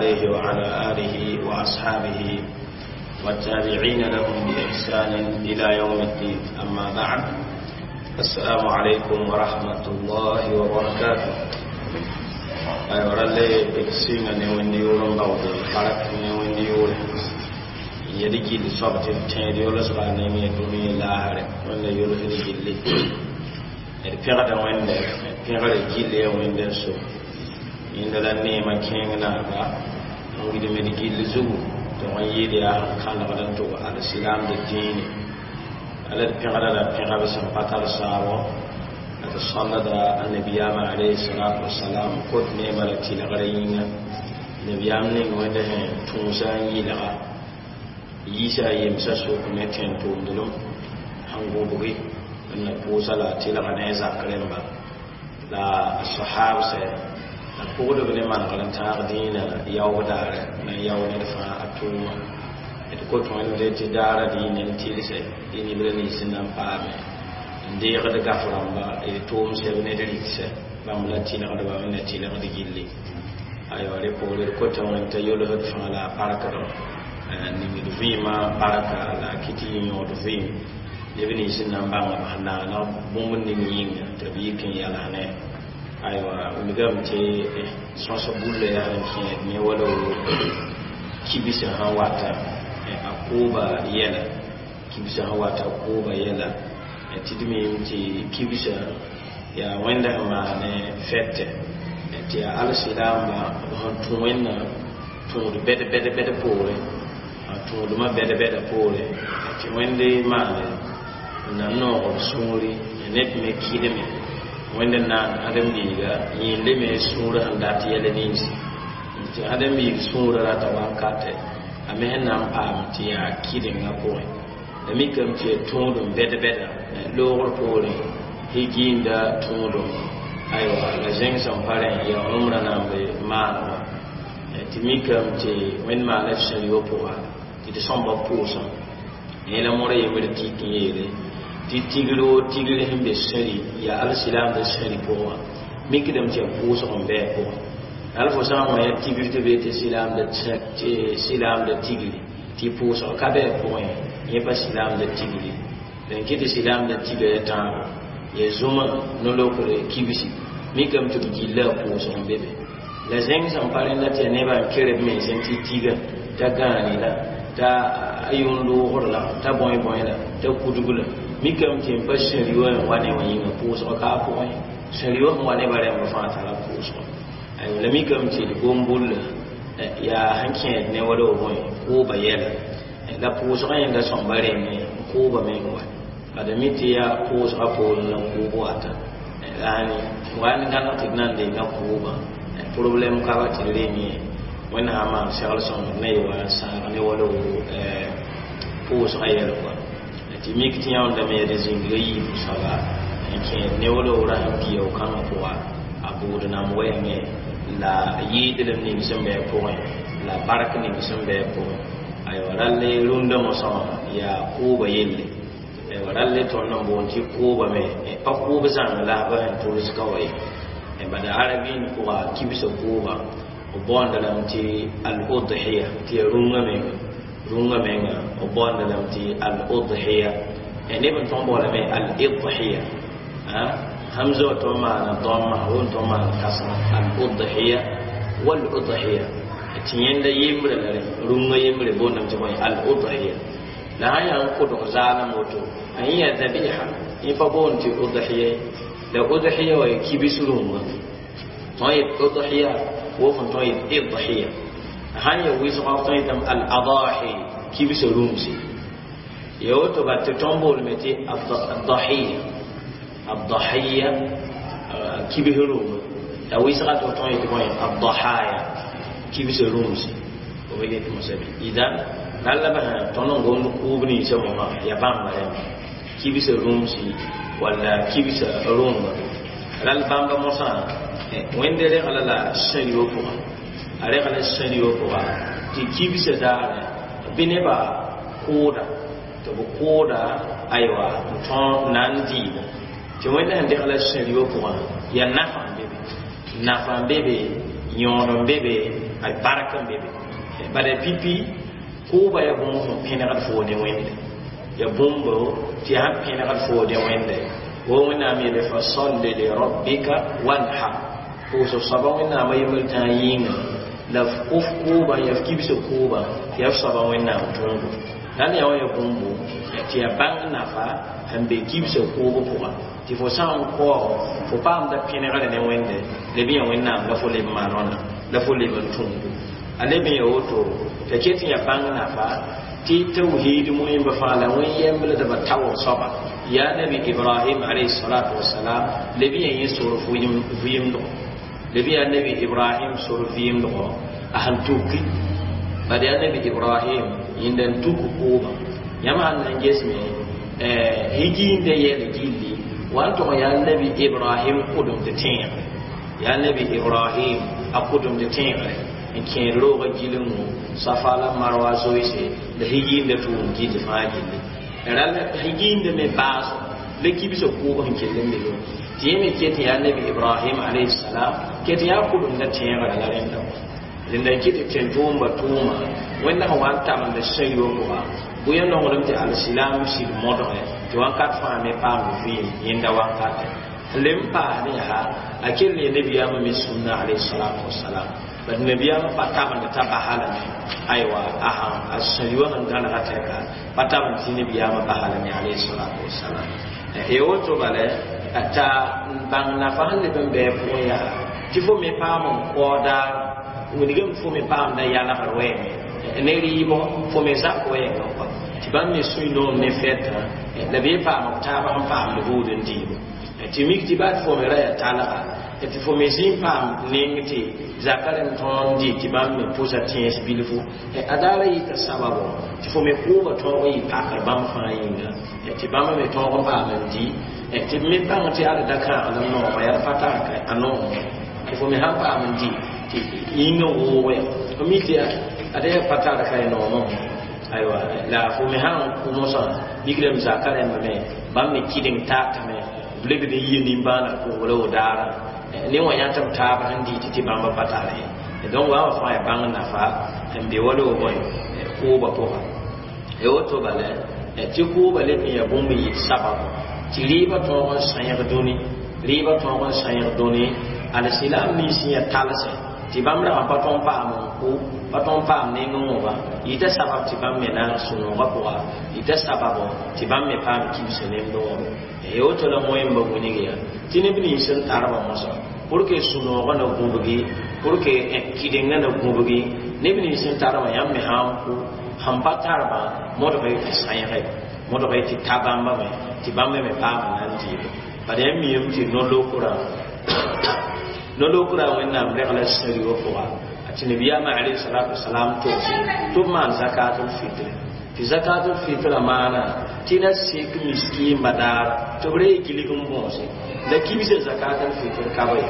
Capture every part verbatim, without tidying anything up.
عليه وعلى آله وأصحابه والتابعين لهم بإحسان إلى يوم الدين. أما بعد، السلام عليكم ورحمة الله وبركاته. أيوة رلي إكسينا نوين يورن باودي حرك نوين يورن yɛd gill soab tɩ d tẽed yolsga ne yẽ dũni laasre wẽnda yolsd gilli d pẽgda wẽnde pẽgre gill ya wẽnd n so yẽnda la neemã kẽeng naaba n wilgd d gill zugu tɩ wã yɩɩd yaa sẽn kãnegd n tʋg alsilaamd dĩine ala d pẽgda la pẽga b sẽn pa tar saabo la tɩ sõndda annabiyaamã alayhi salatu wasalam kot neemã la tɩlgrã yĩnga nabiyaam ning wẽnda sẽn tũusa n yɩlga yiisa yemsa sʋk ne tẽn-tʋʋmdlem sẽn gʋbgi n na pʋʋsa la a tɩlga ne a zak rẽmba la a sahabsɛ la pʋgdb ne manegr n tãag dĩinã yaoog daare na n yao ned fãa a tʋʋma d kot wẽnde tɩ daara dĩinã n tɩlsɛ dɩ nibra nins sẽn na n paame n deegd gaf rãmba d tʋʋm sɛb ne d rɩksɛ bãmb la tɩlgdba me na tɩlgd gilli aywa rẽ poore d kota wẽnd t'a yolsd fãa la a parkdẽ ningd vɩɩmã barka la a kɩt yɩ yõod vɩɩm neb nins sẽn na n bãng b sẽn naana bũmb ning yĩnga tɩ b yik n yalsne aywa wilgame tɩ sõs bulla yaa sẽn kẽed ne wala kibsã sẽn wata a kʋʋba yɛla kibsã sẽn wata a kʋʋba yɛla tɩ d miime tɩ kibsã yaa wẽnda sẽn maane fɛtɛ tɩ yaa alsilaamba b sẽn tũ wẽnnaam tũud bɛd bɛd bɛd poorẽ tũudmã bɛd bɛda poore tɩ wẽnde maane n na noog b sũuri ned me kɩdme wẽnd naan ãdem-biiga yẽende me sũurã sẽn dat yɛl ninsi tɩ ãdem-biig sũurã rata wakatɛ a me sẽn na n paam tɩ yaa kɩdengã pʋgẽ la mikame tɩ yaa tũudum bɛd bɛda loogr poorẽ higiinda tũudum aywa la zẽng sẽn pa rẽ yaa rũmrã na n be maanegã tɩ mikame tɩ wẽnd maana f sẽn-yo pʋga tɩ d sõmba pʋʋsã yẽ la moora yembr tik n yeele tɩ tigr o tigr sẽn be sẽri yaa alsilaamdã sẽri pʋgã mikdame tɩ yaa pʋʋsg n bɩ a pʋgẽ hal fo sã n wã yaa tigr tɩ be tɩ silaamdã tigri tɩ pʋʋsg ka bɩ a pʋgẽ yẽ pa silaamdã tigri la n kɩ tɩ silaamdã tiga ya tãabo ya zũma no-lokre kibsi mikame tɩ b gilla a pʋʋsg n be be la zẽng sẽn pa rẽnda tɩ yaa nebã n ker b mens n tɩ tiga t'a gãane la t'a yʋn loogr la t'a bõe bõe la t'a kudg la mikame tɩ n pa sẽri wã n wa ne wã yĩnga pʋʋsg ka a pʋgẽ sẽri wã sẽn wa nebã rẽmb fãa tara pʋʋsg aywa la mikame tɩ d gom bulla yaa sẽn kẽed ne wala b bõe kʋʋba yɛla la pʋʋsgã yẽnda sõmba rẽmme kʋʋba meng wa bada mi tɩ yaa pʋʋsgã poorẽ la kʋʋb wata yani wa n gãneg tɩ d na n denga kʋʋbã problème ka ba tɩ d rem ye wẽnd sã n maan segl sõngd ne yɩ wa n sãag ne wala pʋʋsgã yɛl kɔa tɩ mik tɩ yãoondame yaa d zĩnga yiib soaba n kẽed ne wala rasem pia kãngã pʋga a bʋʋd nam wɛɛngẽ la yɩɩdlem ning sẽn bɩ a pʋgẽ la bark ning sẽn bɩ a pʋgẽ aywa ralle rũndã mosã wã yaa kʋʋba yelle aywa ralle tõnd n boond tɩ kʋʋba me pa kʋʋb zãng la b sẽn tʋls ka wa ye bada arabin pʋga kibsã kʋʋba b boonda lame tɩ al-udhiya tɩ yaa rũngã menga rũngã menga b boonda lame tɩ al-udhiya neb n tõg n boolame al-idhiya hamza wa tõn maana dõmma won tõn maana kãsema al-udhiya wal-udhiya tɩ yẽnda yembrã la rẽ rũngã yembre boondame tɩ bõe al-udhiya la sã yaa n kʋdg zaalem woto a yẽ yaa zabiha yẽ pa boond tɩ udhiya la udhiya wa kibs rũngã tõn yet udhiya wo fõn tõn yet idhiya sãn ya wɩsgã f tõn yetame al-adahi kibsã rũmse ya woto bat tɩ tõn boolame tɩ adahiya adahiya kibs rũngã la wɩsgã tɩ f tõn yet bõe adahaya kibsã rũmse b yet mosã be idan ralla basã tõnd n gomd kʋʋb ninsã mosã ya bãmba rẽmba kibsã rũmsi walla kibsã rũngã rall bãmba mosã wẽnde regla la sẽn-yo pʋgã a regla sẽn-yo pʋga tɩ kibsã daare bɩ nebã kʋʋda tɩ b kʋʋda aywa n tõe na n dɩɩba tɩ wẽnda sẽn degla sẽn-yo pʋgã yaa nafa n be be nafa n be be yõod n be be Ay barka n be be bala pipi kʋʋba ya bũmb sẽn pẽnegd foo ne Wẽnde ya bũmbo tɩ ya sãn pẽnegd foo ne Wẽnde wo Wẽnnaam yeele fa salli li rabbika wanhar pʋʋsg soaba Wẽnnaamã yembr tãa yĩnga la f kʋʋbã ya f kibsã kʋʋbã tɩ ya f soaba Wẽnnaam tõogo la ne ya wã ya bũmbo tɩ ya bãng nafa sẽn be kibsã kʋʋb pʋga tɩ fo sã n kaoog fo paamda pẽnegre ne Wẽnde leb yã Wẽnnaam la fo leb maanona la fo leb n tũudo a leb n ya woto t'a ket n ya bãng nafa tɩ tawhid moẽmba fãa la wẽn yembldbã taoor soaba yaa nabi Ibrahim alayhi salatu wasalam leb yã yẽ sor vɩɩmdgo leb yaa nabi Ibrahim sor vɩɩmdgo a sẽn tuki bad yaa nabi Ibrahim yẽnda n tuk kʋʋbã yãmb sãn na n gesme higiinde yɛl gilli wa n tʋg yaa nabi Ibrahim kʋdemd tẽegre yaa nabi Ibrahim a kʋdemd tẽegre n kẽed roogã gilengõ Safa la Marwa zoeese la higiinde tʋʋm gilli fãa gilli rãll higiinde me baaso la kibsã kʋʋb sẽn kell n be be tɩ yẽ me ket yaa nabi Ibrahim alayhi salam ket yaa kʋdemda tẽegrã la rẽnda rẽnda n ket tɩ tʋʋmba tʋʋma Wẽnda sẽn wa n tabend sã-yoa pʋga bʋ ya nonglem tɩ alsilam sɩd modge tɩ wãnkat fãa me paam vɩɩm yẽnda wankate n leb n paasd yaa a kell ne nabiyaamã me sũnna alayhi salatu wasalam bad nabiyaamã pa tabend t'a basa lame aywa a sãn a sã-yoa sẽn gãnega tɛka pa tabend tɩ nabiyaamã basa lame alayhi salatu wasalam ya woto bala t'a bãng nafa sẽn leb n bɩ a pʋgẽ yaa tɩ fo me paam n kao daar wilgame fo me paamda yalgr wɛɛme ne rɩɩbɔ fo me zak wɛɛngã kɔa tɩ bãmb me sũy noom ne fɛtã la bee paam b taab sẽn paamd buud n diibo tɩ mik tɩ baa tɩ fo me ra yaa talga tɩ fo me zĩ n paam neng tɩ zaka rẽmb tõog n dɩ tɩ bãmb me pʋsa tẽes bilfu a daara yita sababo tɩ fo me kʋʋba tõog n yɩ pakr bãmb fãa yĩnga tɩ bãmb me tõog n paam n di tɩ b me bãng tɩ ad da kãaglem nooma yaa pa tar a noom tɩ fo me sãn paam n di tɩ yĩngã woogo ya fo mi tɩ ad yaa pa tar ka y noomã aywa la fo me sãn kʋ mosã migrame zaka rẽmba me bãmb me kɩdeng taatame b lebd n yɩ nimbãanã pʋgre wo daara ne wã yã tɩ b taab sẽn dɩ tɩ bãmba pa tare donc wa wã fãa ya bãng nafa n be wala wo bõe kʋʋbã pʋga ya woto bala tɩ kʋʋba leb n ya bũmb n yɩ sababo tɩ rɩɩbã tõog n sãyg dũni rɩɩbã tõog n sãyg dũni alsilam nins sẽn ya talsẽ tɩ bãmb rag n pa tõog n paam n kʋ pa tõog n paam neng n wõba yita sabab tɩ bãmb me naag sũ-noogã pʋga yita sababo tɩ bãmb me paam kibsã nemd wõbe ya woto la moẽmba wilg ya tɩ neb nins sẽn tarbã mosã pour que sũ-noogã na gũbgi pour que kɩdengã na gũbgi neb nins sẽn tarbã yãmb me sã n kʋ sẽn pa tarbã modg tɩ sãyge modg tɩ ta bãmba me tɩ bãmb me paam n na n dɩɩbe bala yãmb miame tɩ no-lokrã no-lokrã Wẽnnaam regla sã-rɩwã pʋga tɩ nabiyaamã alayhi salatu wasalam togse tɩ b maan zakatul fitre tɩ zakatul fitrã maana tɩ na sek miskiimba daara tɩ b ree gilg n bõose la kibsã zakatul fitr ka ba ye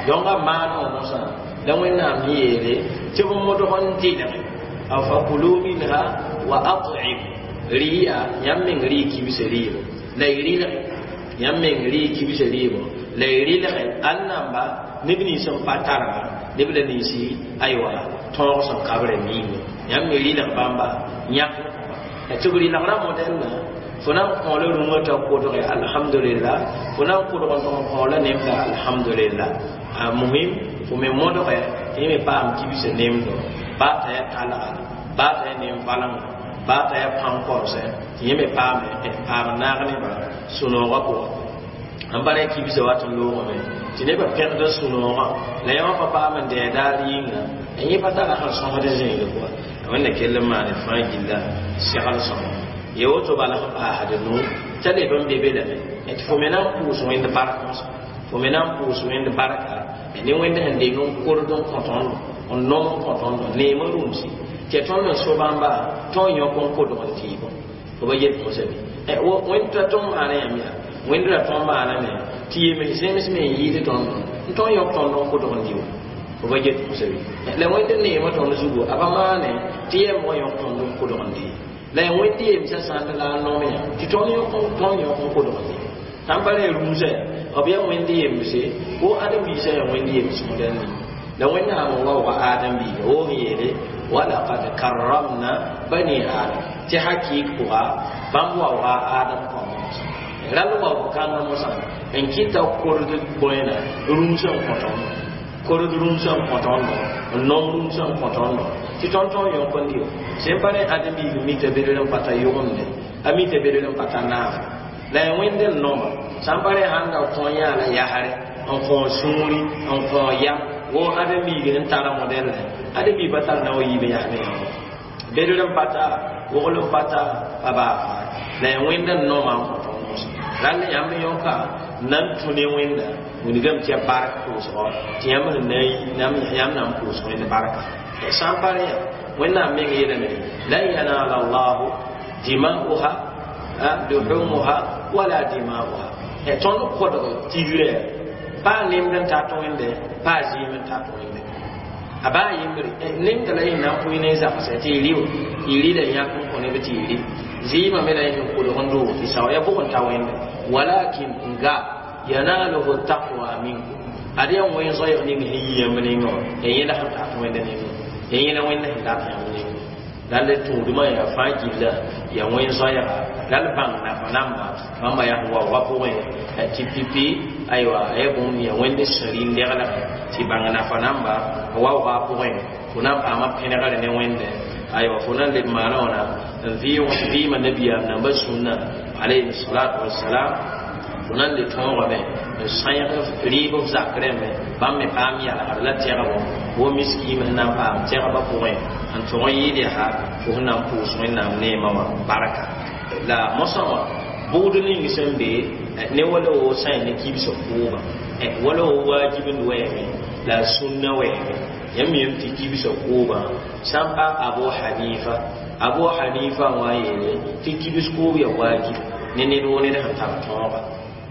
donc a maana wã mosã la Wẽnnaam yeele tɩ b modg n dɩlge a fakulu minha wa at'imu rɩya yãmb meng rɩ kibsã rɩɩbo la y rɩlge yãmb meng rɩ kibsã rɩɩbo la y rɩlge ãn namba neb nins n pa tarba neb la ninsi aywa tõog sẽn kabrã miime yãmb me rɩlg bãmba yãk tɩ b rɩlgrã modɛlna fo na n kõola rũngã t'a kʋdge alhamdulillah fo na n kʋdg n tʋg n kõola nemda alhamdulillah a muhim fo me modge tɩ yẽ me paam kibsã nemdo baa t'a yaa talga baa t'a yaa nen-valengã baa t'a yaa pãn-kɔrse tɩ yẽ me paame paam naag nebã sũ-noogã pʋgã n bara ya kibsã wat n loogame tɩ nebã pẽgda sũ-noogã la yã wã pa paam n dɛɛ daar yĩnga yẽ pa tara sẽn sõsd zẽegre pʋga Wẽnna kell n maane fãa gilla segl sõma ya woto bala sẽn paasd nu t'a leb n be be lame tɩ fo me na n pʋʋs Wẽnd bark mosã fo me na n pʋʋs Wẽnd barka ne Wẽnd sẽn deng n kord n kõ tõndo n nom n kõ tõndo neemã rũmsi tɩ tõnd n so bãmba tõog yõk n kodg n tɩɩbõ fo ba yet mosã bɩ Wẽnd t'a tõnd maana yãmb yaa Wẽnd ra tõnd maaname tɩ yems zems me n yɩɩd tõndo n tõog yõk tõnd n kodg n dɩ fo ba get mosã bɩ la Wẽnd neemã tõnd zugu a pa maane tɩ yɛm wã yõk tõnd n kodg n dɩ la ya Wẽnd yemsã sãnd la a nom yã tɩ tõnd yõk tõnd yõk n kodg n dɩ sãn pa ra rũmsã b yaa Wẽnd yemse wo ãdem-biisã yaa Wẽnd yems modɛl ning La Wẽnnaam n waooga Adem biiga woog n yeele walaqad karramna bani Adam tɩ hakɩɩk pʋga bãmb waooga Adam kõma mosã rall waoog kãngã mosã n kɩta kord bõena rũms n kõ tõndo kord rũms n kõ tõndo n nong rũms n kõ tõndo tɩ tõnd tõog yõk n dɩ sẽn pa rẽ Adem biig mita bedr n pa ta yʋgemde a mita bedr n pa ta naaf la ya Wẽnd n noma sã n pa rẽ sãn da kõ yãa la yasre n kõ sũuri n kõ yam wo Adem biig n tara modɛl Adem biig pa tar na wa yiib n yas mengã bedr n pa ta wogl n pa ta pa baa faa la ya Wẽnd n noma n kõ tõnd mosã rall yãmb yõka nan tũ ne Wẽnda wilgame tɩ ya bark pʋʋsgɔ tɩ yãmb sẽn na yãmb na n pʋʋs Wẽnd barka sã n pa rẽ yã Wẽnnaam meng yeelame lan yanala llahu dima'uha luhumuha wala dima'uha tõnd kodg tigrã paa nemd n tat Wẽnde paa zɩɩm n tat Wẽnde a baa yembre nemda la yẽ na n pʋɩ ne zagsɛ tɩ y rɩ y rɩ la yãk n kõ neb tɩ y rɩ zɩɩmã me la yẽ sẽn kolg n doog tɩ sao ya bʋg n ta Wẽnde walakin nga yanaluhu taqwa minkum ad yaa wẽn zoɛɛg ning sẽn yi yãmb nengã wã ya yẽla sẽn tat Wẽnde nengã ya yẽla Wẽnda sẽn dat yãmb nengã rall tũudmã yaa fãa gilla ya wẽn zoɛɛga rall bãng nafa namba bãmba yaa sẽn waoogã pʋgẽ tɩ pipi aywa ya bũmb ya Wẽnd sẽn rĩn-dɛglgẽ tɩ bãng nafa namba waoogã pʋgẽ fo na n paama pẽnegre ne Wẽnde aywa fo na n leb maana wãna n vɩɩma nabiyaam namba sũnna alayhi salatu wassalam fo na n le tõogame n sãyg rɩɩb f zak rẽmbe bãmb me paam yalgr la tɛgbo wo miskiim sẽn na n paam tɛgbã pʋgẽ n tʋg n yɩɩd yaa fo sẽn na n pʋʋs Wẽnnaam neemã wã barka la mosã wã bʋgd ning sẽn be ne wala wo sã ne kibsã kʋʋba wala wo waajib n wɛɛme la sũnna wɛɛme yãmb yem tɩ kibsã kʋʋbã sã n pa Abu Hanifa Abu Hanifa wã yeele tɩ kibs kʋʋb ya waajib ne ned wo ned sẽn tar tõoga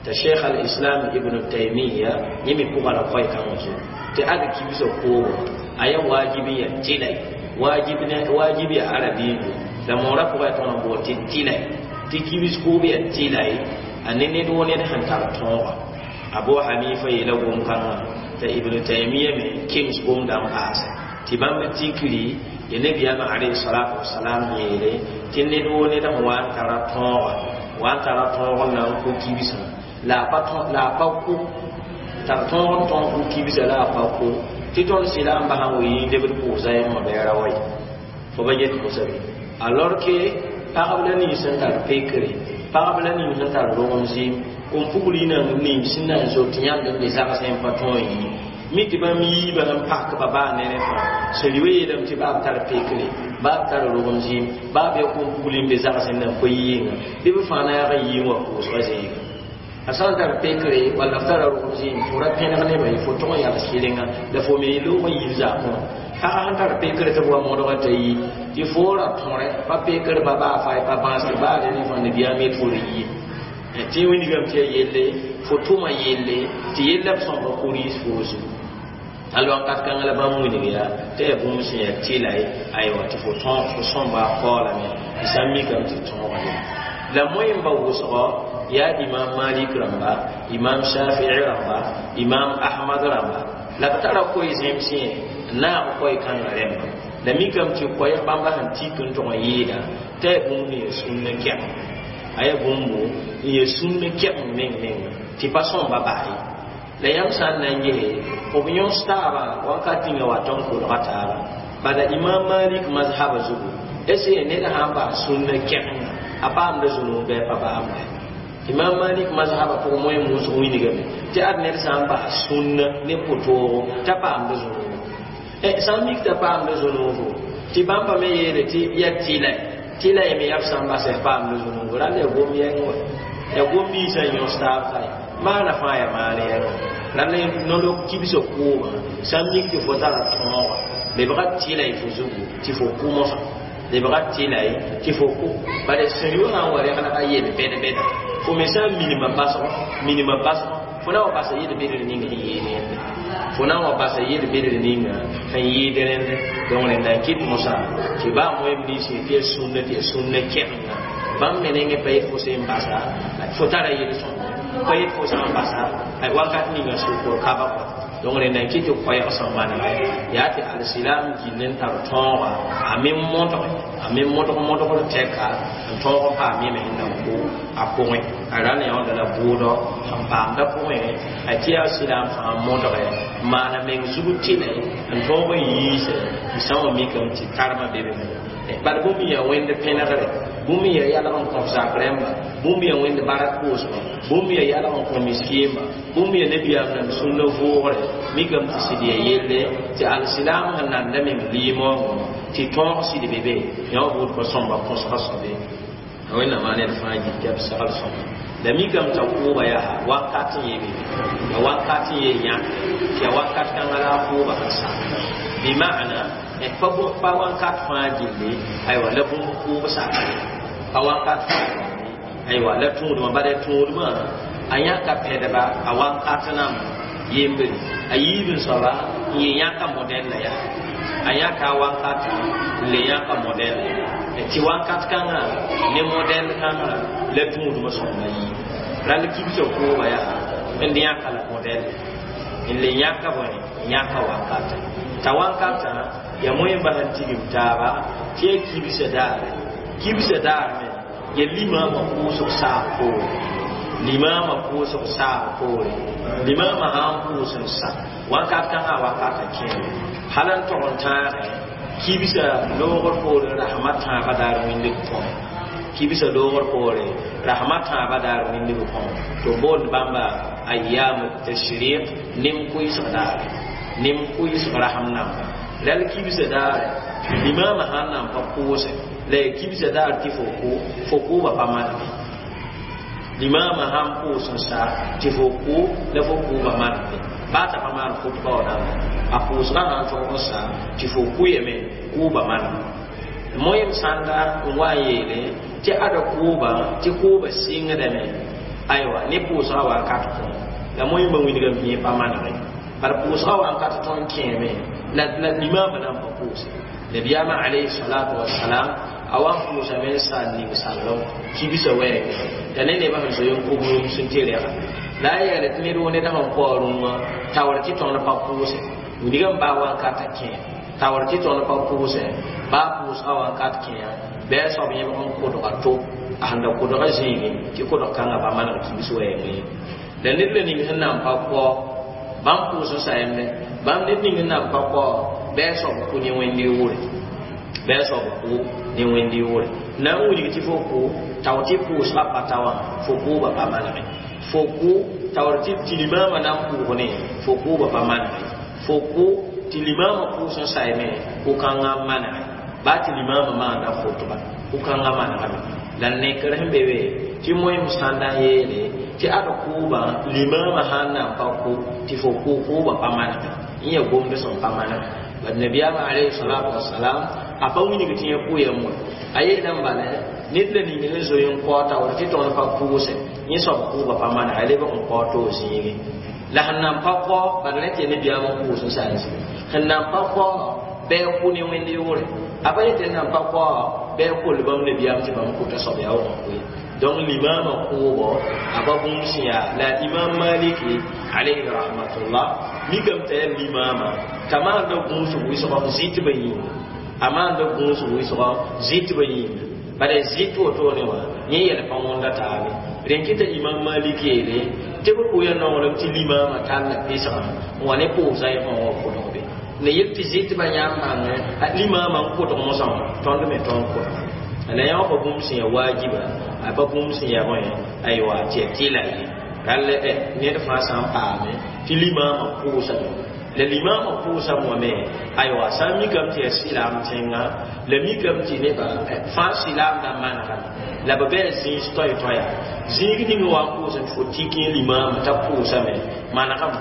t'a Cheikh al-Islam Ibn Taymiya yẽ me pʋga la koɛ-kãngã zugu tɩ ad kibsã kʋʋbã a ya waajib n ya tɩlay waajib ya arabiidu la moorã pʋgã ya tõnd n bool tɩ tɩlay tɩ kibs kʋʋb ya tɩlay a ne ned wo ned sẽn tar tõoga Abu Hanifa yeela gom-kãngã t'a Ibn Taymiya me kems gomdã n paase tɩ bãmb tikri ya nabiyaamã alayhi salatu wasalam yeele tɩ ned wo ned sẽn wa n tara tõoga wa n tara tõog n na n kʋ kibsã la a pa la a pa kʋ tar tõog n tõog kʋ kibsã la a pa kʋ tɩ tõnd sɩla n basã n wi lebd pʋʋsa yãmba bɛɛra wa ye fo ba get mosã be alors que pagb la nins sẽn tar pekre pagb la nins sẽn tar rogem zɩɩm kom pugl yĩna ning sẽn na n zot tɩ yãmb n be zagsẽ n pa tõog n yi mi tɩ bãmb yiibã sẽn pakba baa ne rẽ fãa sẽn rɩ yeelame tɩ baa b tar pekre baa b tar rogem zɩɩm baa b ya kom pugl n be zagsẽ na n pa yi yĩnga bɩ b fãa na yag n yii n wa pʋʋsgã zĩiga a sã n tar pekre walla f tara rogem zɩɩm fo ra pẽneg nebã ye fo tʋg n yals kɩrenga la fo me loog n yiib zakẽ wã pagã sẽn tar pekre tɩ b wa modgã t'a yi tɩ fo ra tõre pa pekr pa baa fa pa bãasd baa re ne fãa nabiyaam yet fo re yie tɩ wilgame tɩ ya yelle fo tʋma yelle tɩ yella b sõmba koris fo zugu al wakat kãngã la bãmb wilg yaa tɩ ya bũmb sẽn yaa tɩla ye aywa tɩ fo tõog fo sõmba a kaoolame tɩ sã n mikame tɩ tõoga ye la moẽmba wʋsgɔ yaa Imam Malik rãmba Imam Shafii rãmba Imam Ahmad rãmba la b tara koe zẽms yẽ n naag koɛ-kãngã rẽmba la mikame tɩ koɛɛg bãmba sẽn tik n tʋg n yɩɩda tɩ ya bũmb n yaa sũnna kɛg a ya bũmbo n yaa sũnna kɛg meng menga tɩ pa sõmba baa ye la yãmb sã n na n gese b yõs taabã wakat ninga wa tõnd kolga taaba bala Imam Malik mazhaba zugu est ce ned sã n bas sũnna kɛgenga a paamda zũnug bɩ pa paamda Imam Malik mazhaba pʋgẽ moẽ musg wilgame tɩ ad ned sã n bas sũnna ne pʋtoogo t'a paamda zũnugo sã n mik t'a paamda zũnugo tɩ bãmba me yeele tɩ ya tɩla tɩla y me yaa b sã n basɛ paamda zũnugo rall ya gom yɛng wa ya gom ninsã n yõs taab ka ye maana fãa ya maan yɛngã rall nolog kibsã kʋʋmã sã n mik tɩ fo tara tõoga lebga tɩla y fo zugu tɩ fo kʋ mosã lebga tɩla ye tɩ fo kʋ bala sẽn yʋ sã n wa reglga yel bɛd-bɛda fo me sã n minima basgo minima basgo fo na wa basa yel-bedr ning sẽn yɩɩd rẽnda fo na n wa basa yel-bedr ninga sẽn yɩɩd rẽnda donc rẽnda n kɩt mosã tɩ baa moem ninsẽ tɩ ya sũnna tɩ ya sũnna kɛgenga bãmb me nengẽ pa yet fo sẽn basa fo tara yel-sõmda pa yet fo sã n basa wakat ninga sʋkr kaba kɔ Donc rẽnda n kɩ tɩ koɛɛg sẽn manegɛ yaa tɩ alsilam gill n tar tõoga a me modge a me modg modgr tɛka n tõog n paam yẽ me sẽn na n kʋ a pʋgẽ a ra ne yõnda la bʋʋdɔ sẽn paamda pʋgẽ a tɩ yaa silaam fãa modge n maana meng zug tɩlɛ n tõog n yiise n sã wã mikame tɩ karmã be be bala bũmb n yaa wẽnd pẽnegre bũmb n yaa yalg n kõf zak rẽmba bũmb yaa wẽnd barak koosmã bũmb yaa yalg n kõ miskiimba bũmb yaa nabiyaam nan sũnna vʋʋgre mikame tɩ sɩd yaa yelle tɩ alsilaam sẽn nanda meng liimoongõ tɩ tõog sɩd be be yã wã buud pa sõmba põsga soabe wẽnnaam a ned fãa gil tɩ b segl sõma la mikame t'a kʋʋba yaa wakat n yee be ya wakat n yee yãke tɩ ya wakat kãngã la a kʋʋba sẽn sak bɩ maana pa pa wakat fãa gilli aywa la bũmb kʋʋb sakre pa wakat fãa gilli aywa la tũudmã bala tũudmã a yãka pɛdba a wakat namba yembre a yiib n soaba n ye yãka modɛl la yaa a yãka a wankatã n le yãka modɛl tɩ wakat kãngã ne modɛl kãngã la tũudmã sõmba yii rall kibsã kʋʋba yaa n yãka la modɛl n le yãka bõe yãka wakatã t'a wankatã ya moẽ bas n tigim taaba tɩ ya kibsã daare kibsã daar me ya limaamã pʋʋsg saag poore limaamã pʋʋsg saag poore limaamã sã n pʋʋs n sa wakat kãngã wakatã kẽeme hal n tog n tãagẽ kibsã loogr poore rasmã tãabã daar wĩndg pʋgẽ kibsã loogr poore rasmã tãabã daar wĩndg pʋgẽ tɩ b boond bãmba ayam tashriq nem kʋɩsg daare nem kʋɩsg rasm namba la la kibsã daare limaamã sã n na n pa pʋʋse la ya kibsã daar tɩ fo kʋ fo kʋʋba pa manege limaamã sã n pʋʋs n sa tɩ fo kʋ la fo kʋʋba manege baa t'a pa maan khutba wã namba a pʋʋsgã sã n tog n sa tɩ fo kʋyame kʋʋba manege moyem sãnda n wa n yeele tɩ ada kʋʋba tɩ kʋʋba sɩngdame aywa ne pʋʋsgã wakat kõ la moyembã wilgame tɩ yẽ pa manege bala pʋʋsgã wakat tõnd kẽeme la la limaamã na n pa pʋʋse nabiyaamã alayhi salatu wasalam a wa n pʋʋsame n sa n ning sallem kibsã wɛɛngẽ la ne nebã sẽn zoe n kʋb rũm sẽn tɩ rɛga la a yeele tɩ ned woo ned sẽn kao rũmã taoor tɩ tõnd pa pʋʋse wilgame baa wankatã kẽ taoor tɩ tõnd pa pʋʋse baa pʋʋsgã wakat kẽa bɩ a soab yẽbg n kʋdga to a sẽn da kʋdga zĩigẽ tɩ kʋdg kãngã pa maneg kibs wɛɛngẽ la ned la ning sẽn na n pa kao bãmb pʋʋs n sayemde bãmb ned ning sẽn na n pa kao bɩ a soab kʋ ne wẽnd yʋʋre bɩ a soab kʋ ne wẽnd yʋʋre na n wilg tɩ fo kʋ tao tɩ pʋʋsgã pa ta wã fo kʋʋba pa manege fo kʋ taoor tɩ tɩ limaamã na n pʋʋg ne fo kʋʋba pa manege fo kʋ tɩ limaamã pʋʋs n sayme kʋ-kãngã n manege baa tɩ limaamã maanda khutba kʋ-kãngã manegame la nekr sẽn be be tɩ moẽm sãnda n yeele tɩ ad kʋʋbã limaamã sã n na n pa kʋ tɩ fo kʋ kʋʋbã pa manege n ya gomd sẽn pa manege bad nabiyaamã alayhi salatu wasalam a pa wilg tɩ yẽ kʋ yam wã a yeelame bala ned la ning sẽn zoe n kao taoor tɩ tõnd pa pʋʋse yẽ soab kʋʋbã pa manega a lebg n kao toog zĩigẽ la sẽn na n pa kao bala rẽ tɩ ya nabiyaam n pʋʋs n sa n zĩig sẽn na n pa kao bɩ a kʋ ne wẽnd yʋʋre a pa yetɩ n na n pa kao bɩ a kol bãmb nabiyaam tɩ bãmb kʋta soab yaa wa n kʋ ye donc limaamã kʋʋbɔ a pa bũmb sẽn yaa la imam maliki alayhi rahmatullah mikame t'a yaa limaamã t'a maanda gũusg wɩsgɔ zɩtbã yĩnga a maanda gũusg wɩsgɔ zɩtbã yĩnga bala zɩt wotone wã yẽ yɛl pa wõnda taabe rẽn kɩta imam malik yeele tɩ b kʋ ya nonglem tɩ limaamã talla pesgã n wa ne pʋʋsa yẽ fãa wã kʋdg be la yel tɩ zɩtbã yãmb bãngẽ a limaamã n kʋdg mosã wã tõnd me tõnd kʋdga la yã wã pa bũmb sẽn yaa waajiba a pa bũmb sẽn yaa bõe aywa tɩ ya tɩla ye rall ned fãa sã n paame tɩ limaamã pʋʋsame la limaamã pʋʋsame wã me aywa sã n mikame tɩ yaa sɩlaam tẽnga la mikame tɩ nebã fãa sɩlaamdã manegame la b bɩ a zĩis toay-toaya zĩig ning wa n pʋʋs n fo tik yẽ limaamã t'a pʋʋsame manegame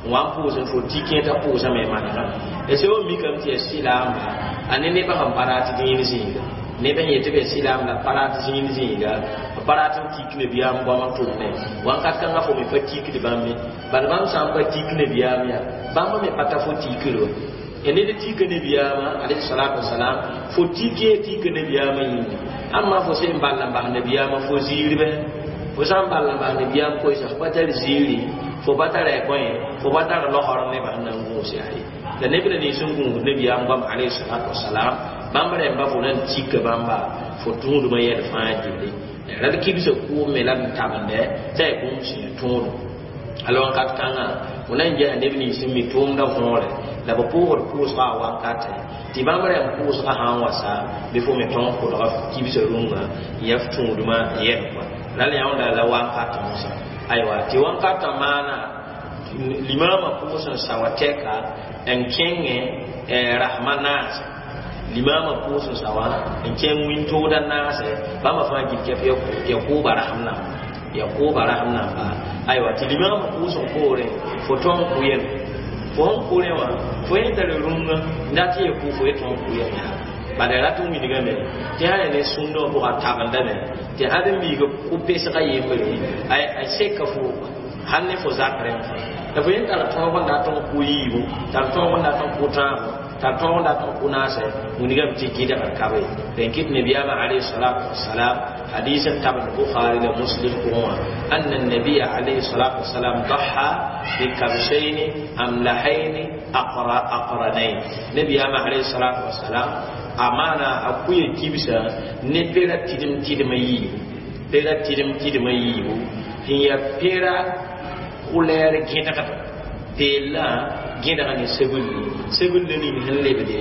n wa n pʋʋs n fo tik yẽ t'a pʋʋsame manegame la sã wa mikame tɩ yaa sɩlaamba a ne nebã sẽn pa rat dĩin zĩiga neb sẽn yetɩ b yaa sɩlaam la pa rat zĩig zĩiga b pa rat n tik nabiyaam goam n tʋmne wãnkat kãngã fo me pa tikd bãmb ye bala bãmb sã n pa tik nabiyaam yaa bãmb me pa ta fo tikr wa ya ned tika nabiyaamã alayhi salatu wasalam fo tik ye tika nabiyaamã yĩnga ãmma fo sẽn ball n bas nabiyaamã fo ziir bɛ fo sã n ball n bas nabiyaam koɛɛsg pa tar ziiri Fo pa tara bõe, fo pa tar logr nebã sẽn na n gũus yaa ye. La neb la nins n gũusd nabiyaam goam alayhi salatu wasalam, bãmb rẽmba fo na n tika bãmba fo tũudmã yɛl fãa gilli. Rad kibsã kʋʋm me la d tabendɛ t'a yaa bũmb sẽn ya tõodum. Ala wakat kãngã fo na n ges neb nins n mi tʋʋmdã võore la b pʋʋgd pʋʋsgã a wakatẽ tɩ bãmb rẽmb pʋʋsgã sã n wa sa bɩ fo me tõog kʋdga kibsã rũngã n yaa f tũudmã n yɛl kɔa. Rala yãonda la wakat mosã. Aywa, tɩ wankatã maana limaamã pʋʋs n sa wa tɛka n kẽngẽ rasmã naase. Limaamã pʋʋs n sa wã n kẽng wĩntoogdã naase bãmba fãa gil kɛf ya kʋʋba rasem namba, ya kʋʋba rasem namba. Aywa, tɩ limaamã pʋʋs n poorẽ fo tõog n kʋ yɛm. Fo sẽn kʋ rẽ wã fo yẽ tar rũngã n dat tɩ ya kʋ fo ye tõog n kʋ yɛm yaa. Bala rat n wilgame tɩ sã yaa ne sũndã wã pʋga tabendame tɩ ãd n biiga kʋ-pesgã yembre a seka fo hal ne fo zak rẽmb fãa. La fo yẽ tara tõog n dat n kʋ yiibu, tar tõog n dat n kʋ tãabo, tar tõog n dat n kʋ naasɛ, wilgame tɩ gɩdgr ka be. Rẽn kɩt nabiyaamã alayhi salatu wasalam hadis n tabend Bukhari la Muslim pʋgẽ wã, anna nabiya alayhi salatu wasalam daha bi kabshayn amlahayn aqra aqranayn. Nabiyaamã alayhi salatu wasalam a maana a kʋya kibsã ne pera tɩdem tɩdmã yiibu, pera tɩdem tɩdmã yiibu sẽn yaa pera kulɛɛr gẽdgd peellã gẽdg ne sebulli, sebulli ning sẽn lebde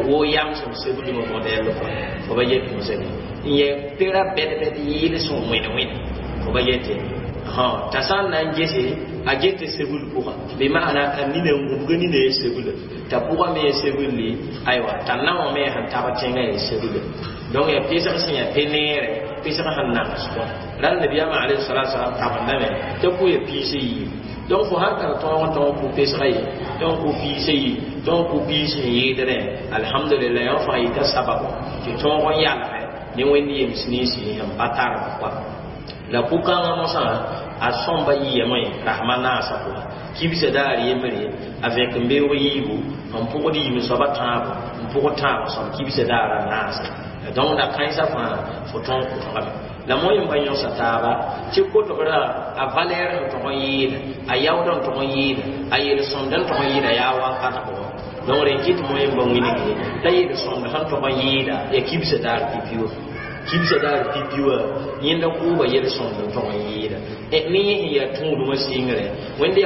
wo yamsem sebulmã modɛl kɔa fo ba yet mosame n yɛ pera bɛd-bɛd yɩɩl sẽn wẽd wẽd fo ba yete. T'a sã n na n gese a gete sebul pʋga bɩ maana a nina n gũbga nina ye sebula t'a pʋga me ye sebulli. Aywa, t'a naowã me sẽn tab tẽngã ye sebula. Donc yaa pesg sẽn yaa pe-neere, pesg sẽn nags kɔa. Rãl nabiyaamã alayhi salatu wasalam tabendame t'a kʋ ya piis yiibu. Donc fo sãn tar tõog n tõog kʋ pesga ye, tõog kʋ piisã yi, tõog kʋ piis sẽn yɩɩdrẽ, alhamdulillah, yõ fãa yita sababo tɩ tõog n yalgɛ ne Wẽnd yems ninsi sẽn pa tarb kɔa. La pʋ-kãngã mosã a sõmba yɩame rasmã naasã pʋga kibsã daar yembre a vẽk n beoog yiibu n pʋgd yim soaba tãabo n pʋgd tãab sõm kibsã daara naasã. Donc la kãensã fãa fo tõog kʋtgame. La moẽ ba yõsa taaba tɩ kotgrã a valɛɛr sẽn tog n yɩɩda, a yaood n tog n yɩɩda, a yel-sõmd n tog n yɩɩda yaa wakat pʋgẽ. Donc rẽn kɩt moẽ ba wilge la yel-sõmd sẽn tog n yɩɩda ya kibsã daar pipi wã, kibsã daar pipi wã yẽnda kʋʋba yel-sõmd n tog n yɩɩda ne yẽ sẽn yaa tũudmã sɩngre. Wẽnd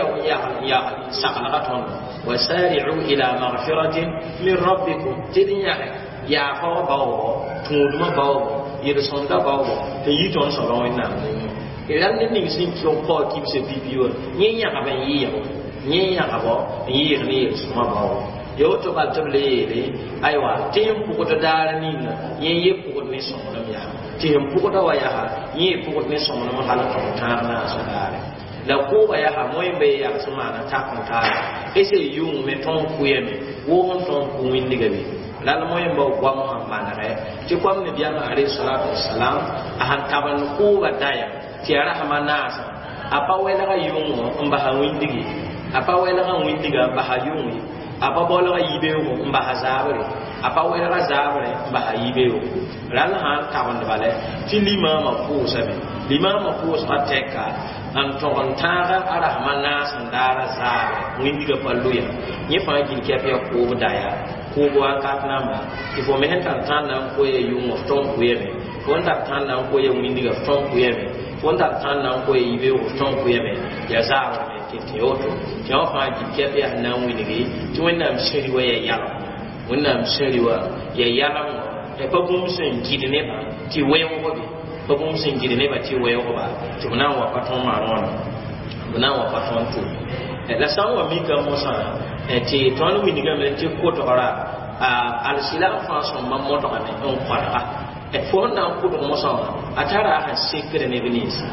yaa saglga tõndo wasari'u ila magfiratin min rabbikum tɩ d yãge yaafa wã baoogo, tũudmã baoogo, yel-sõmdã baoogo tɩ yi tõnd soabã Wẽnnaam nengẽ. Rãmb ned ning sẽn kao kibsã pipi wã yẽ yãgb n yɩɩgo, yẽ yãgbo n yɩɩg ne yel-sõmã baoogo. Ya woto bal tɩ b le yeele aywa tɩ sẽn pʋgd daar ninga yẽ ye pʋgd ne sõmblem yaa, tɩ sẽn pʋgda wa yaa yẽ ye pʋgd ne sõmblem hal n tog tãag naasã daare. La kʋʋba yaa moẽ ba ye yags n maana tak n taara ese yʋng me tõog kʋyame woog n tõog kʋ wĩndga be. Lal moẽ ba goam sẽn manegɛ tɩ koam nabiyaamã alayhi salatu wasalam a sẽn tabend kʋʋba daya tɩ ya rasmã naasã a pa wɛlga yʋngõ n basa wĩndge, a pa wɛlga wĩndga n basa yʋng ye, a pa baolga yibeoogo n basa zaabre, a pa wɛlga zaabrẽ n basa yibeoogo. Rãll sã n tabend bala tɩ limaamã pʋʋsame, limaamã pʋʋsgã tɛka n tog n tãaga a rasmã naas n daara zaabrɛ wĩndgã pa loya yẽ fãa gil kɛp ya kʋʋb daya kʋʋb wakat namba tɩ fo me sẽn tar tãn na n koya yʋngã f tõog kʋyame, fo n tar tãn na n koya wĩndgã f tõog kʋyame, fo n tar tãn na n koya yibeoogo f tõog kʋyame ya zaabrame tɩ tɩ woto tɩ wã fãa gil kɛp yaa sẽn na n wilgi tɩ Wẽnnaam sẽri wa ya yalem, Wẽnnaam sẽri wa ya yalemgɔ pa bũmb sẽn gɩd nebã tɩ weoog be, pa bũmb sẽn gɩd nebã tɩ weoogba tɩ b na n wa pa tõnd maan wãna, b na n wa pa tõnd tʋʋm. La sã n wa mika mosã tɩ tõnd wilgame tɩ kotgra alsilam fãa sõmba modgame n kõdga fo sẽn na n kʋdg mosã wã a tara a sẽn sekd neb ninsi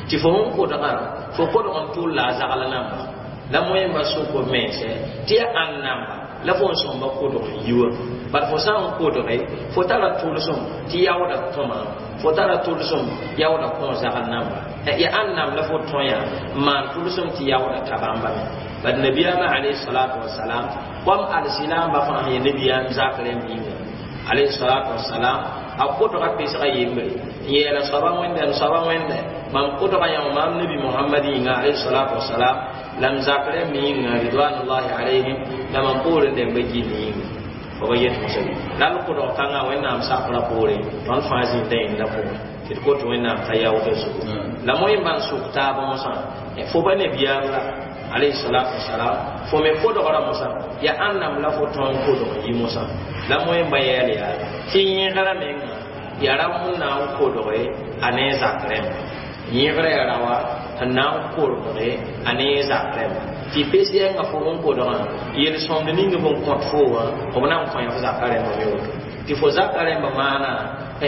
tɩ fo sẽn kʋdgã fo kʋdg n tʋl la a zagl namba la moẽmba sʋk b mense tɩ ya ãn namba la fo n sõmba kʋdg n yi wã. Bad fo sã n kʋdge fo tara tʋlsem tɩ yaooda tõma, fo tara tʋlsem yaooda kõ zagl namba ya ãn nam la fo tõe yaa n maan tʋlsem tɩ yaooda ta bãmba me. Bad nabiyaamã alayhi salatu wasalam koam alsilamba fãa sẽn ya nabiyaam zakrẽ yĩnga alayhi salatu wasalam a kʋdga pesga yembre n yeela soaba wẽnde n soaba wẽnde Mam kodga yã maam nabi Muhammad yĩnga alayhi salatu wasalam la m zak rẽmb yĩnga ridwanullahi alayhim la mam poorẽ dẽmba gill yĩnga fo ba yet mosã la l kodg kãngã Wẽnnaam sakra poore tõnd fãa zĩnda yẽnda pʋgẽ tɩ d kot Wẽnnaam t'a yaoodã zugu la moẽmba n sʋk taab mosã fo ba nebiyaam la alayhi salatu wasalam fo me kodgra mosã ya ãnnam la fo tõnd kodg n yi mosã la moẽmba yɛɛl yaa tɩ yẽgra menga ya rao sẽn na n kodge a ne zak rẽmba yẽgra ya raoa sẽn na n kodge a ne zak rẽmba tɩ pes yɛnga fo sẽn kodgã yel-sõmd ning b n kõt fo wã b na n kõ f zaka rẽmba me woto tɩ fo zaka rẽmba maana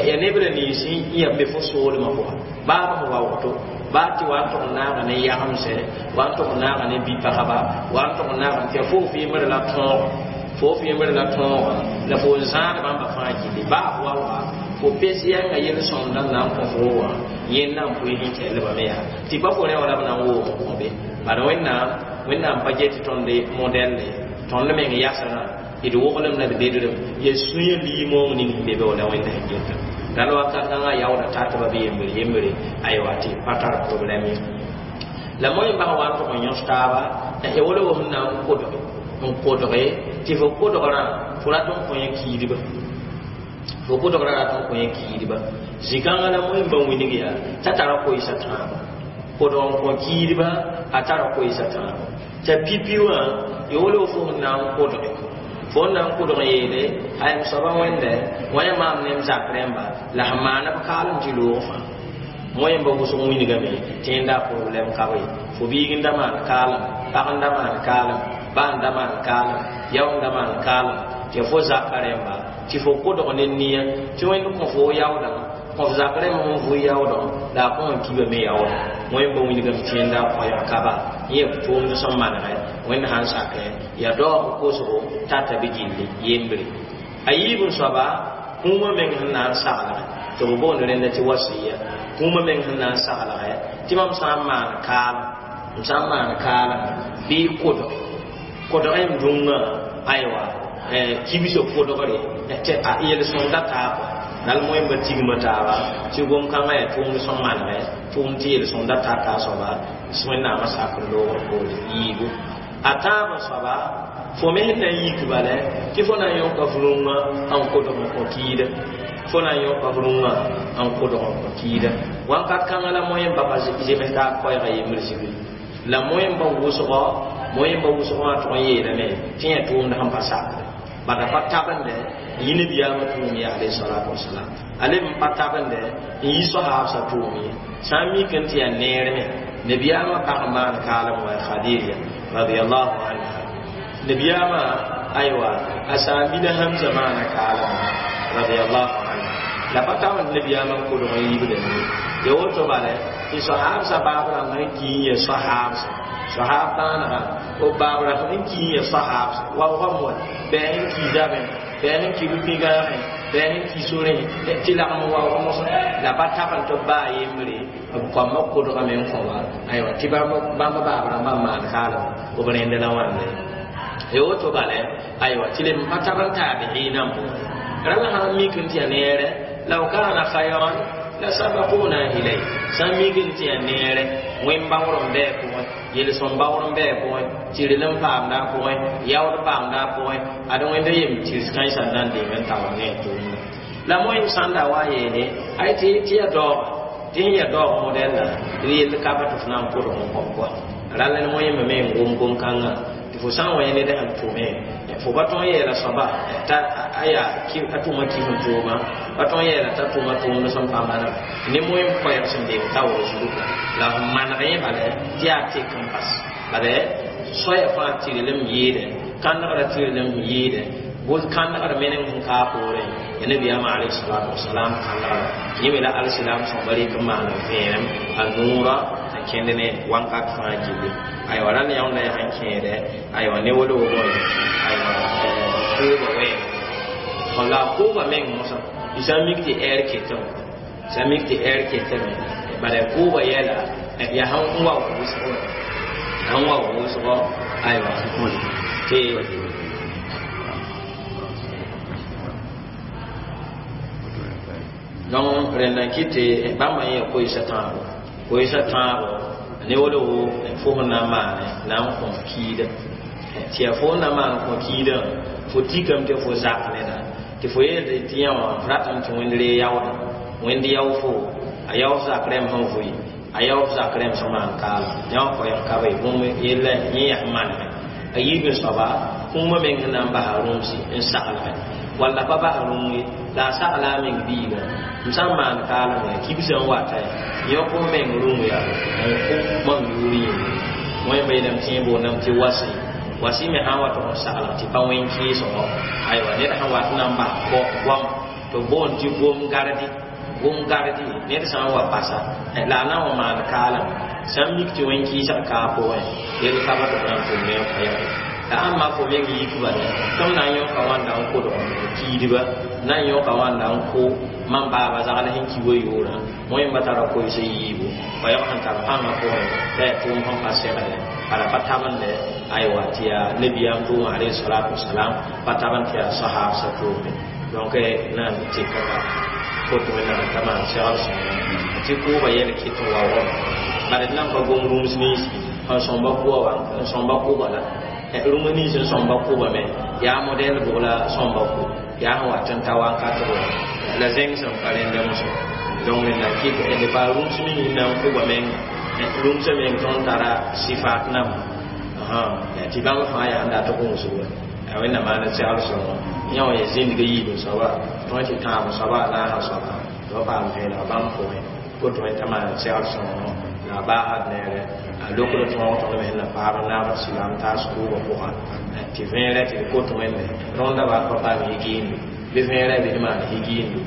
ya neb ra nins n yã be fo soolmã pʋga baa b sẽn wa woto baa tɩ wa n tʋg n naaga ne yagemsɛ wa n tʋg n naaga ne bi-pagba wa n tʋg n naagame tɩ ya fo f yembr la tõog fo f yembr la tõoga la fo n zãad bãmba fãa gilli baa f wa wa fo pes yɛnga yel-sõmdã n na n kõ fo wã yẽnd na n pʋɩ sẽn kɛllbame yaa tɩ pa fo rẽ wã la b na n woog n kõ be bala Wẽnnaam Wẽnnaam pa get tõnd modɛlle tõnd meng yasrã d woglem la d bedrem ya sũyã liimoong ning sẽn be be wala Wẽnda sẽn geta dal wakat kãngã yaooda tatba bɩ yembre yembre aywa tɩ pa tar problɛm ye la moẽmba sã wa n tʋg n yõs taaba ya wala wa sẽn na n kodge n kodge tɩ fo kodgrã fo rat n kõ yẽ kiidba fo kodgrã rat n kõ yẽ kiidba zĩ-kãngã la moẽmba wilg yaa t'a tara koeesa tãaba kodg n kõ kiidba a tara koeesa tãaba t'a pipi wã ya wala wa fo sẽn na n kodge fo n na n kodg yeele ayem soaba wẽnde wã yã maam ne m zak rẽmba la sẽn maana b kaalem tɩ loog fãa moẽmba wʋsg wilgame tɩ yẽnda problɛm ka be fo biig n da maan kaalem pag n da maan kaalem ba n da maan kaalem yao n da maan kaalem tɩ fo zaka rẽmba tɩ fo kodg ne nia tɩ Wẽnd kõ fo yaoodã kõ f zak rẽmb sẽn vʋ yaoodã la a kõ n kiba me yaoodã moẽmba wilgame tɩ yẽnda koɛɛg kaba yẽ tʋʋmd sẽn manegɛ Wẽnd sãn sakɛ ya daoog kosgo tata bɩ gilli yembre a yiib n soaba kũumã meng sẽn na n saglgɛ tɩ b boond rẽnda tɩ wasiya kũumã meng sẽn na n saglgɛ tɩ mam sã n maan kaalem m sã n maan kaalem bɩ kodge kodgẽ m dũngã aywa kibsã kodgre tɩ a yel-sõmda taa kɔa dal moẽmba tigma taaba tɩ gom-kãngã yaa tʋʋmd sẽn manegɛ tʋʋmd tɩ yel-sõmda tata a soaba Wẽnnaamã sakr loogr poore yiibu a tãabã soaba fo me sẽn na n yik bala tɩ fo na n yõka f rũngã n kodg n kõ kiida fo na n yõka f rũngã n kodg n kõ kiida wãnkat kãngã la moẽmba pa zems taab koɛɛga yembr zibri la moẽmba wʋsgɔ moẽmba wʋsgɔ wã tʋg n yeelame tɩ yẽ tʋʋmd sẽn pa sakre bada pa tabende n yi nabiyaamã tʋʋm ye alayhi salatu wasalam a leb n pa tabende n yi sohaabsã tʋʋm ye sã n mik n tɩ yaa neer me nabiyaamã pag n maan kaalem wã Khadija radiallahu anha nabiyaamã aywa a saambila Hamza maana kaalem radiallahu anha la pa tabend nabiyaamã n kodg n yiibda ne ya woto bala tɩ sohaabsã baab rãmb sẽn ki n yɛ sohaabsã sohaab bãanegã b baab rãmb sẽn ki n yɛ sohaabsã waoogame wa bɩ sẽn ki zabẽ bɩ sẽn ki rʋ-pĩgãagẽ bɩ sẽn ki sorẽ tɩ lagm waoog mosã la pa tabend tɩ b baa yembre b koambã kodgame n kõ wa aywa tɩ bãmb baab rãmbã n maan kaalem b rẽnd la wãnde ya woto bala aywa tɩ leb n pa tab n taabi'iinã n pʋgẽ rãla sã n mik n tɩ yaa neere law kana khayran la sabaquna ilay sã n mik n tɩ yaa neere wẽn-baoor n bɩ a pʋgẽ yel-sõm baoor n bɩ a pʋgẽ tɩrlem paamda a pʋgẽ yaood paamda a pʋgẽ ad Wẽnda yem tɩrs kãensã n na n deng n taoor ne a tʋʋmda la moẽm sãn da wa yeele ay tɩ tɩ yaa daooga tɩ sẽn yaa daoog modɛlla d yell ka pa tɩ f na n kodg n kõb koa rall ne moẽmba me n gom gom-kãngã tɩ fo sã n wa yẽ ned sẽn tʋme fo pa tõe n yeela soaba t'a a yaa a tʋma kis n tʋʋma pa tõe n yeela t'a tʋma tʋʋmd sẽn pa maneg ne moẽm koɛɛg sẽn deng taoor zugu la f maneg yẽ bala tɩ yaa tek n bas bala soaya fãa tɩrlem yɩɩdɛ kãnegrã tɩrlem yɩɩdɛ kãnegrã meneng sẽn kaa poorẽ ya nabiyaamã alayhi salatu wasalam kãnegrã yẽ me la alsilam sõsba rɩk n maan vẽenem a noorã a kẽnd ne wãnkat fãa gilli aywa rãnd yãonda yaa sẽn kẽedɛ aywa ne wolo bõe aywa kooba wɛɛng la kooba meng mosã tɩ sã n mik tɩ ɛɛr ketame sã n mik tɩ ɛɛr ketame bala kooba yɛla yaa sẽn wa wʋsgo sẽn wa wʋsgo aywa tɩ donc rẽnda n kɩt tɩ bãmba yẽ koeesa tãabo Koeesa tãabo ne wolo fo sẽn na n maane na n kõ kiida tɩ yaa fo n na maan kõ kiidã fo tikame tɩ fo zak neda tɩ fo yeelde tɩ yã wã f ratame tɩ wẽnd ree yaooda wẽnd yao fo a yao f zak rẽmb sẽn vʋɩ a yao f zak rẽmb sẽn maan kaalem yã wã koɛɛg ka be bũmb yella yẽ yaa maneme a yiib n soaba kũumã meng sẽn na n basa rũmsi n saglgẽ walla pa bas rũm ye la a sagla a meng biigã m sã n maan kaalem ya kibsã n wata yõk f meng rũm ya n kʋ mam yʋʋr yĩnga wẽmba yeelame tɩ yẽ boondame tɩ wasi wasi me sã n wa tɩ f saglg tɩ pa wẽn kɩɩsgo aywa ned sã n wat n na n bas goam tɩ b boond tɩ gom gardi gom gardi ned sã n wa basa la a na n wa maan kaalem sã n mik tɩ wẽn kɩɩsg kaa pʋgẽ yel ka ba tɩ b na n tʋm me n koɛɛge la ãmba fo meng yikba ne tɩ m na n yõka wãnda n kodg kiidba na n yõka wãnda n kʋ mam baaba zagl sẽn ki wa yoorã wẽmba tara koees yiibu koɛɛg sẽn tar pãngã pʋgẽ la yaa tʋʋm sẽn pa segde bala pa tabende aywa tɩ yaa nabiyaam tʋʋmã alayhi salatu wasalam pa tabend tɩ yaa sahaabsã tʋʋme donc na n tɩka kot wẽnnaam t'a maan segl sõnga tɩ kʋʋba yɛl kɩt n wa wama bala d nan pa gom rũms ninsi n sõmba kʋba wa n sõmba kʋba la rũm nins n sõmba kʋba me yaa modɛl bʋg la sõmba kʋ yaa sẽn wat n ta wakat wã la zẽng sẽn pa rẽnda mosã donc wẽnnaam kɩt d pa rũms ning na n kʋba menga rũmsã meng tõnd tara sɩfaat namba tɩ bãmb fãa yaa n dat gũusg wa wẽnnaam maana segl sõngo yã wã yaa zĩndga yiib n soaba tõe tɩ tãab soaba a naasã soaba tɩ ba paam vẽeneg bãmb pʋgẽ woto t'a maan segl sõngo la a baasd neere a lokd tõog tõnd me sẽn na paam n naabd silaam taas kʋʋbã pʋgã tɩ vẽerɛ tɩ d kot wẽnde rõndã wa pa paam higiindu bɩ vẽerɛ bɩ d maan higiindu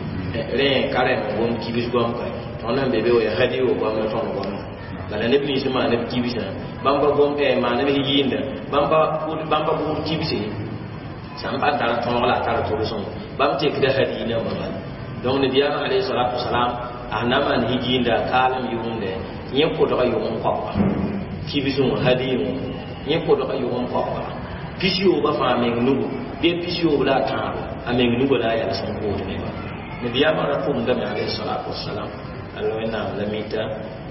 rẽ ka rẽnd gom kibs goam ka tõnd sẽn be be wa yaa hadi wa goam la tõnd goamã bala neb nins n maan b kibsã bãmb pa gom maan b higiinda bãmb pa bʋʋd kibse sã n pa tara tõog la a tara tʋlsem bãmb tekda hadi nambã bala donc nabiyaamã alayhi salatu wasalam a na maan higiinda a kaalem yʋʋmdɛ yẽ kodga yʋgem koabga kibsẽ wã hadi wã yẽ kodga yʋgem koabga pis-yoobã fãa meng nugu bɩ pis-yoob la a tãabo a meng nugã la a yals n kood nebã nabiyaamã ra pʋgdame alayhi salatu wasalam alla wẽnnaam la mita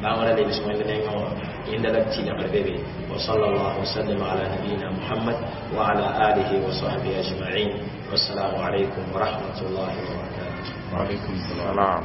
bãngrã lebs wẽnd nengẽ wã yẽnda la b tɩlgr be be wa sallallahu wasallam ala nabiyina muhammad wa ala alihi wa sahbihi ajma'in wassalamu alaykum wa rahmatullahi wa barakatuh وعليكم السلام.